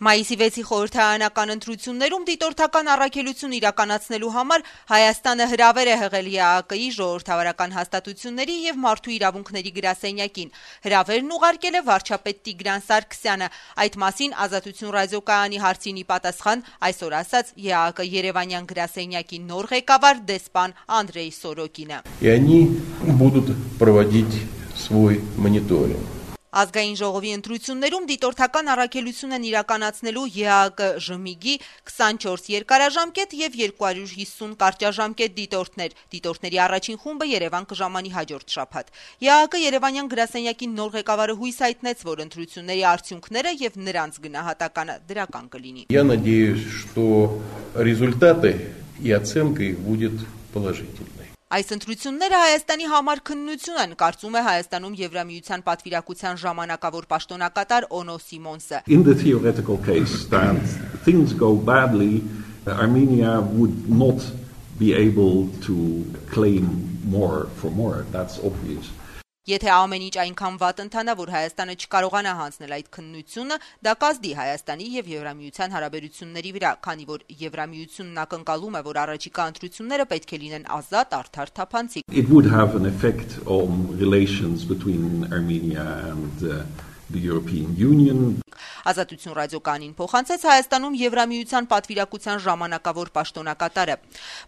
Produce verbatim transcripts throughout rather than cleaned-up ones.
Մայիսի վեցի խորհրդարանական ընտրություններում դիտորդական առաքելություն իրականացնելու համար Հայաստանը հրավեր է հղել ԵԱՀԿ-ի ժողովրդավարական հաստատությունների եւ մարդու իրավունքների գրասենյակին։ Հրավերն ուղարկել է վարչապետ Տիգրան Սարգսյանը։ Այդ մասին Ազատություն ռադիոկայանի հարցին ի պատասխան այսօր ասաց ԵԱՀԿ Երևանյան գրասենյակի նոր ղեկավար դեսպան Անդրեյ Սորոկինը։ И они будут проводить свой мониторинг. Ազգային ժողովի ընտրություններում դիտորդական առաքելություն են իրականացնելու ԵԱՀԿ ԺՄԻԳ-ի քսանչորս երկարաժամկետ եւ երկու հարյուր հիսուն կարճաժամկետ դիտորդներ։ Դիտորդների առաջին խումբը Երևան կժամանի հաջորդ շաբաթ։ ԵԱՀԿ Երևանյան գրասենյակի նոր ղեկավարը հույս հայտնեց, որ ընտրությունների արդյունքները եւ նրանց գնահատականը դրական կլինի։ Я надеюсь, что результаты и оценка их будет положительной. Այս ընտրությունները Հայաստանի համար քննություն են, կարծում է Հայաստանում Եվրամիության պատվիրակության ժամանակավոր պաշտոնակատար Օնո Սիմոնսը։ In the theoretical case that things go badly, Armenia would not be able to claim more for more. That's obvious. Եթե ամեն ինչ այնքան վատ ընթանա, որ Հայաստանը չկարողանա հանձնել այդ քննությունը, դա կազդի Հայաստանի եւ Եվրամիության հարաբերությունների վրա, քանի որ Եվրամիությունն ակնկալում է, որ առաջիկա ընտրությունները պետք է լինեն ազատ, արդար, թափանցիկ։ It would have an effect on relations between Armenia and uh, the European Union. Ազատություն ռադիոկայանին փոխանցեց Հայաստանում Եվրամիության պատվիրակության ժամանակավոր պաշտոնակատարը։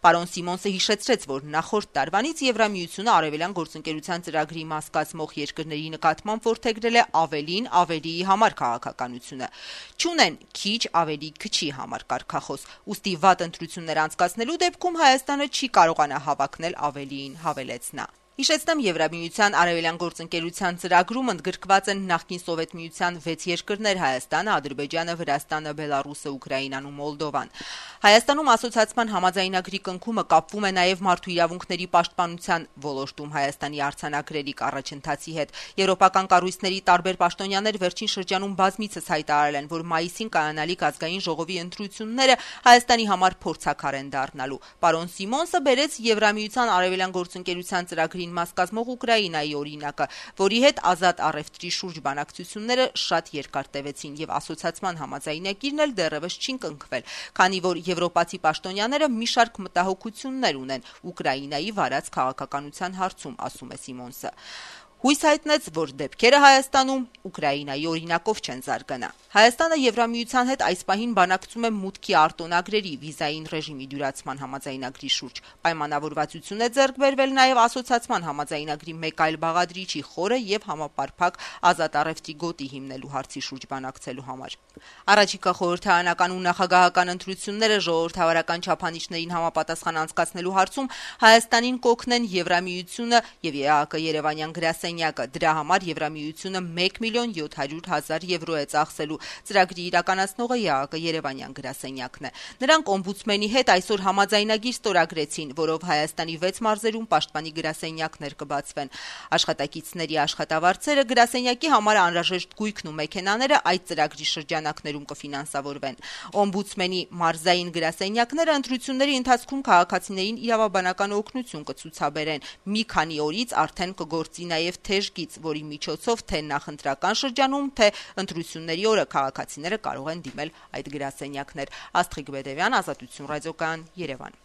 Պարոն Սիմոնսը հիշեցրեց, որ նախորդ տարվանից Եվրամիությունը Արևելյան գործընկերության ծրագրի մաս կազմող երկրների նկատմամբ որդեգրել է ավելին ավելիի համար քաղաքականությունը։ Չունեն քիչ ավելի քչի համար կարգախոս։ Ուստի վատ ընտրություններ անցկացնելու դեպքում Հայաստանը չի կարողանա հավակնել ավելիին, հավելեց նա։ Հիշեցնեմ, Եվրամիության Արևելյան գործընկերության ծրագրում ընդգրկված են նախկին Սովետ միության վեց երկրներ՝ Հայաստանը, Ադրբեջանը, Վրաստանը, Բելարուսը, Ուկրաինան ու Մոլդովան։ Հայաստանում ասոցիացիան համաձայնագրի կնքումը կապվում է նաև մարդու իրավունքների պաշտպանության ոլորտում Հայաստանի արձանագրելիք առաջընթացի հետ։ Եվրոպական կառույցների տարբեր պաշտոնյաներ վերջին շրջանում բազմիցս հայտարարել են, որ մայիսին կայանալիք ազգային ժողովի ընտրությունները Հայաստանի համար փորձաքար են դառնալու։ Պարոն Սիմոնսը բերեց Եվրամիության Արևելյան գործընկերության ծրագրի մաս կազմող Ուկրաինայի օրինակը, որի հետ ազատ առևտրի շուրջ բանակցությունները շատ երկար տևեցին եւ ասոցիացիան համաձայնագիրն էլ դեռևս չի կնքվել, քանի որ եվրոպացի պաշտոնյաները մի շարք մտահոգություններ ունեն Ուկրաինայի վարած քաղաքականության հարցում, ասում է Սիմոնսը։ Հույս հայտնեց, որ դեպքերը Հայաստանում Ուկրաինայի օրինակով չեն զարգանա։ Հայաստանը Եվրամիության հետ այս պահին բանակցում է մուտքի արտոնագրերի վիզային ռեժիմի դյուրացման համաձայնագրի շուրջ։ Պայմանավորվածություն է ձեռք բերվել նաև ասոցիացիան համաձայնագրի մեկ այլ բաղադրիչի խորը եւ համապարփակ ազատ առևտրի գոտի հիմնելու հարցի շուրջ բանակցելու համար։ Առաջիկա խորհրդարանական ու նախագահական ընտրությունները ժողովրդավարական չափանիշներին համապատասխան անցկացնելու հարցում Հայաստանին կօգնեն Եվրամիությունը եւ ԵԱՀԿ Երևանյան գրասենյակը։ Դրա համար Եվրամիությունը մեկ միլիոն յոթ հարյուր հազար եվրո է ծախսելու։ Ծրագրի իրականացնողը ԵԱՀԿ Երևանյան գրասենյակն է։ Նրանք օմբուդսմենի հետ այսօր համաձայնագիր ստորագրեցին, որով Հայաստանի վեց մարզերում պաշտպանի գրասենյակներ կբացվեն։ Աշխատակիցների աշխատավարձերը, գրասենյակի համար անհրաժեշտ գույքն ու մեքենաները այդ ծրագրի շրջանակներում կֆինանսավորվեն։ Օմբուդսմենի մարզային գրասենյակները ընտրությունների ընթացքում քաղաքացիներին իրավաբանական օգնություն կցուցաբերեն։ Մի քանի օրից արդեն կգործի նաև թեժգիծ, որի միջոցով թե նախընտրական շրջանում, թե ընտրությունների օրը քաղաքացիները կարող են դիմել այդ գրասենյակներ։ Աստղիկ Բեդևյան, Ազատություն ռադիոկայան, Երևան։